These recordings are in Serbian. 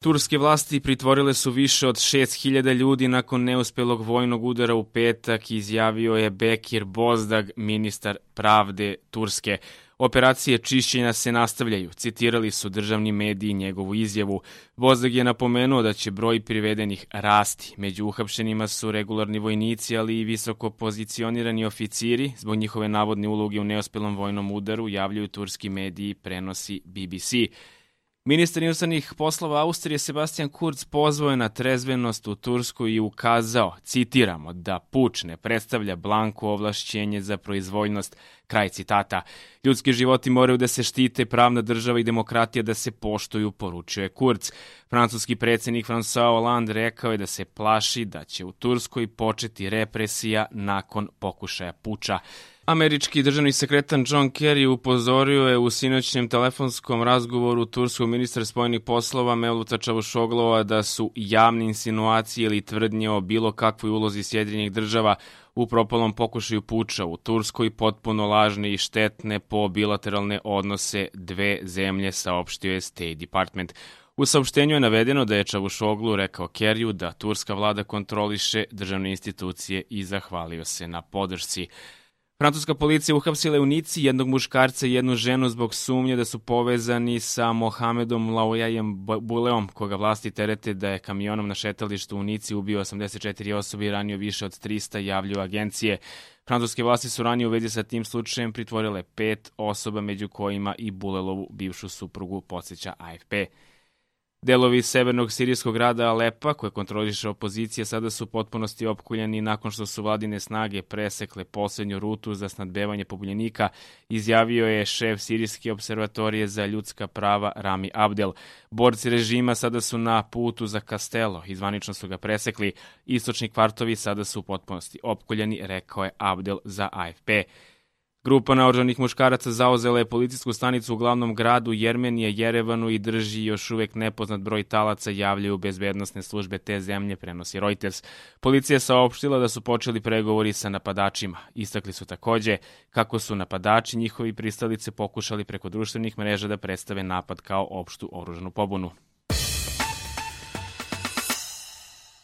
Turske vlasti pritvorile su više od 6.000 ljudi nakon neuspelog vojnog udara u petak, izjavio je Bekir Bozdag, ministar pravde Turske. Operacije čišćenja se nastavljaju, citirali su državni mediji njegovu izjavu. Bozdag je napomenuo da će broj privedenih rasti. Među uhapšenima su regularni vojnici, ali i visoko pozicionirani oficiri. Zbog njihove navodne uloge u neuspelom vojnom udaru javljaju turski mediji, prenosi BBC. Ministar inostranih poslova Austrije Sebastian Kurz pozvao je na trezvenost u Tursku i ukazao, citiramo, da puč ne predstavlja blanko ovlašćenje za proizvoljnost, kraj citata. Ljudski životi moraju da se štite, pravna država i demokratija da se poštuju, poručuje Kurz. Francuski predsjednik François Hollande rekao je da se plaši da će u Turskoj početi represija nakon pokušaja puča. Američki državni sekretar John Kerry upozorio je u sinoćnjem telefonskom razgovoru turskog ministra spoljnih poslova Mevluta Čavuşoglua da su javne insinuacije ili tvrdnje o bilo kakvoj ulozi Sjedinjenih država u propalom pokušaju puča u Turskoj potpuno lažne i štetne po bilateralne odnose dve zemlje, saopštio je State Department. U saopštenju je navedeno da je Čavuşoglu rekao Kerriju da turska vlada kontroliše državne institucije i zahvalio se na podršci. Francuska policija uhapsila je u Nici jednog muškarca i jednu ženu zbog sumnje da su povezani sa Mohamedom Laouyajem Buleom, koga vlasti terete da je kamionom na šetalištu u Nici ubio 84 osobe i ranio više od 300, javljaju agencije. Francuske vlasti su ranije u vezi sa tim slučajem pritvorile 5 osoba, među kojima i Bulelovu bivšu suprugu, podsjeća AFP. Delovi severnog sirijskog grada Alepa, koje kontroliše opozicija, sada su u potpunosti opkoljeni nakon što su vladine snage presekle poslednju rutu za snadbevanje pobunjenika, izjavio je šef Sirijske observatorije za ljudska prava Rami Abdel. Borci režima sada su na putu za Castello i zvanično su ga presekli. Istočni kvartovi sada su u potpunosti opkoljeni, rekao je Abdel za AFP. Grupa naoružanih muškaraca zauzela je policijsku stanicu u glavnom gradu Jermenije, Jerevanu, i drži još uvek nepoznat broj talaca, javljaju bezbednosne službe te zemlje, prenosi Reuters. Policija je saopštila da su počeli pregovori sa napadačima. Istakli su takođe kako su napadači njihovi pristalice pokušali preko društvenih mreža da predstave napad kao opštu oružanu pobunu.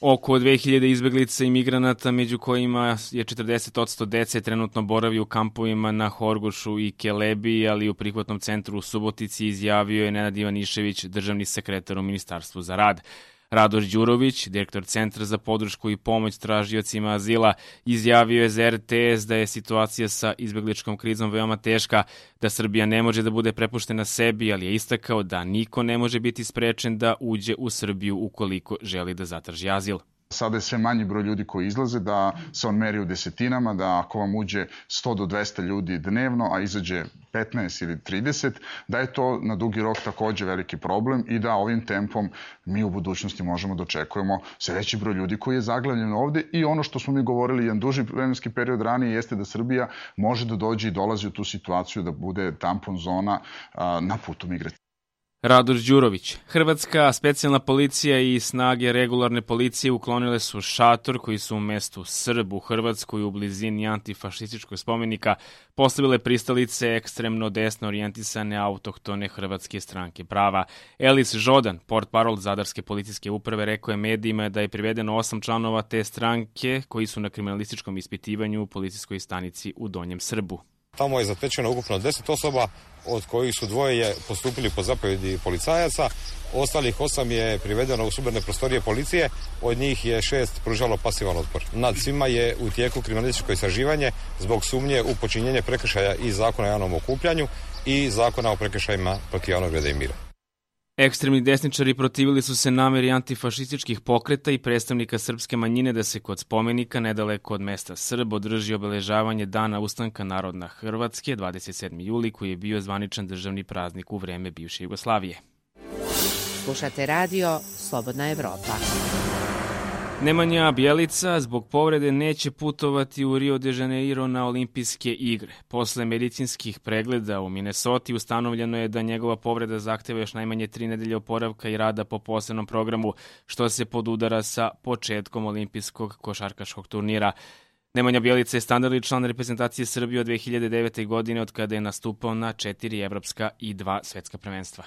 Oko 2000 izbeglica i migranata, među kojima je 40% dece, trenutno boravi u kampovima na Horgošu i Kelebiji, ali i u prihvatnom centru u Subotici, izjavio je Nenad Ivanišević, državni sekretar u Ministarstvu za rad. Radoš Đurović, direktor Centra za podršku i pomoć tražiocima azila, izjavio je za RTS da je situacija sa izbegličkom krizom veoma teška, da Srbija ne može da bude prepuštena sebi, ali je istakao da niko ne može biti sprečen da uđe u Srbiju ukoliko želi da zatraži azil. Sada je sve manji broj ljudi koji izlaze, da se on meri u desetinama, da ako vam uđe 100 do 200 ljudi dnevno, a izađe 15 ili 30, da je to na dugi rok takođe veliki problem i da ovim tempom mi u budućnosti možemo da očekujemo sve veći broj ljudi koji je zaglavljen ovde. I ono što smo mi govorili jedan duži vremenski period ranije jeste da Srbija može da dođe i dolazi u tu situaciju da bude tampon zona na putu migracije. Radoš Đurović. Hrvatska specijalna policija i snage regularne policije uklonile su šator koji su u mestu Srb u Hrvatskoj u blizini antifašističkog spomenika postavile pristalice ekstremno desno orijentisane autohtone Hrvatske stranke prava. Elis Žodan, portparol Zadarske policijske uprave, rekao je medijima da je privedeno 8 članova te stranke koji su na kriminalističkom ispitivanju u policijskoj stanici u Donjem Srbu. Tamo je zatečeno ukupno 10 osoba, od kojih su 2 postupili po zapovjedi policajaca, ostalih 8 je privedeno u sudbene prostorije policije, od njih je 6 pružalo pasivan otpor. Nad svima je u tijeku kriminalističko istraživanje zbog sumnje u počinjenje prekršaja iz Zakona o javnom okupljanju i Zakona o prekršajima protiv javnog reda i mira. Ekstremni desničari protivili su se nameri antifašističkih pokreta i predstavnika srpske manjine da se kod spomenika nedaleko od mesta Srb održi obeležavanje Dana ustanka narodna Hrvatske 27. juli, koji je bio zvaničan državni praznik u vreme bivše Jugoslavije. Slušate radio Slobodna Evropa. Nemanja Bjelica zbog povrede neće putovati u Rio de Janeiro na olimpijske igre. Posle medicinskih pregleda u Minnesoti ustanovljeno je da njegova povreda zahteva još najmanje 3 nedelje oporavka i rada po posebnom programu, što se podudara sa početkom olimpijskog košarkaškog turnira. Nemanja Bjelica je standardni član reprezentacije Srbije od 2009. godine, od kada je nastupao na 4 evropska i 2 svetska prvenstva.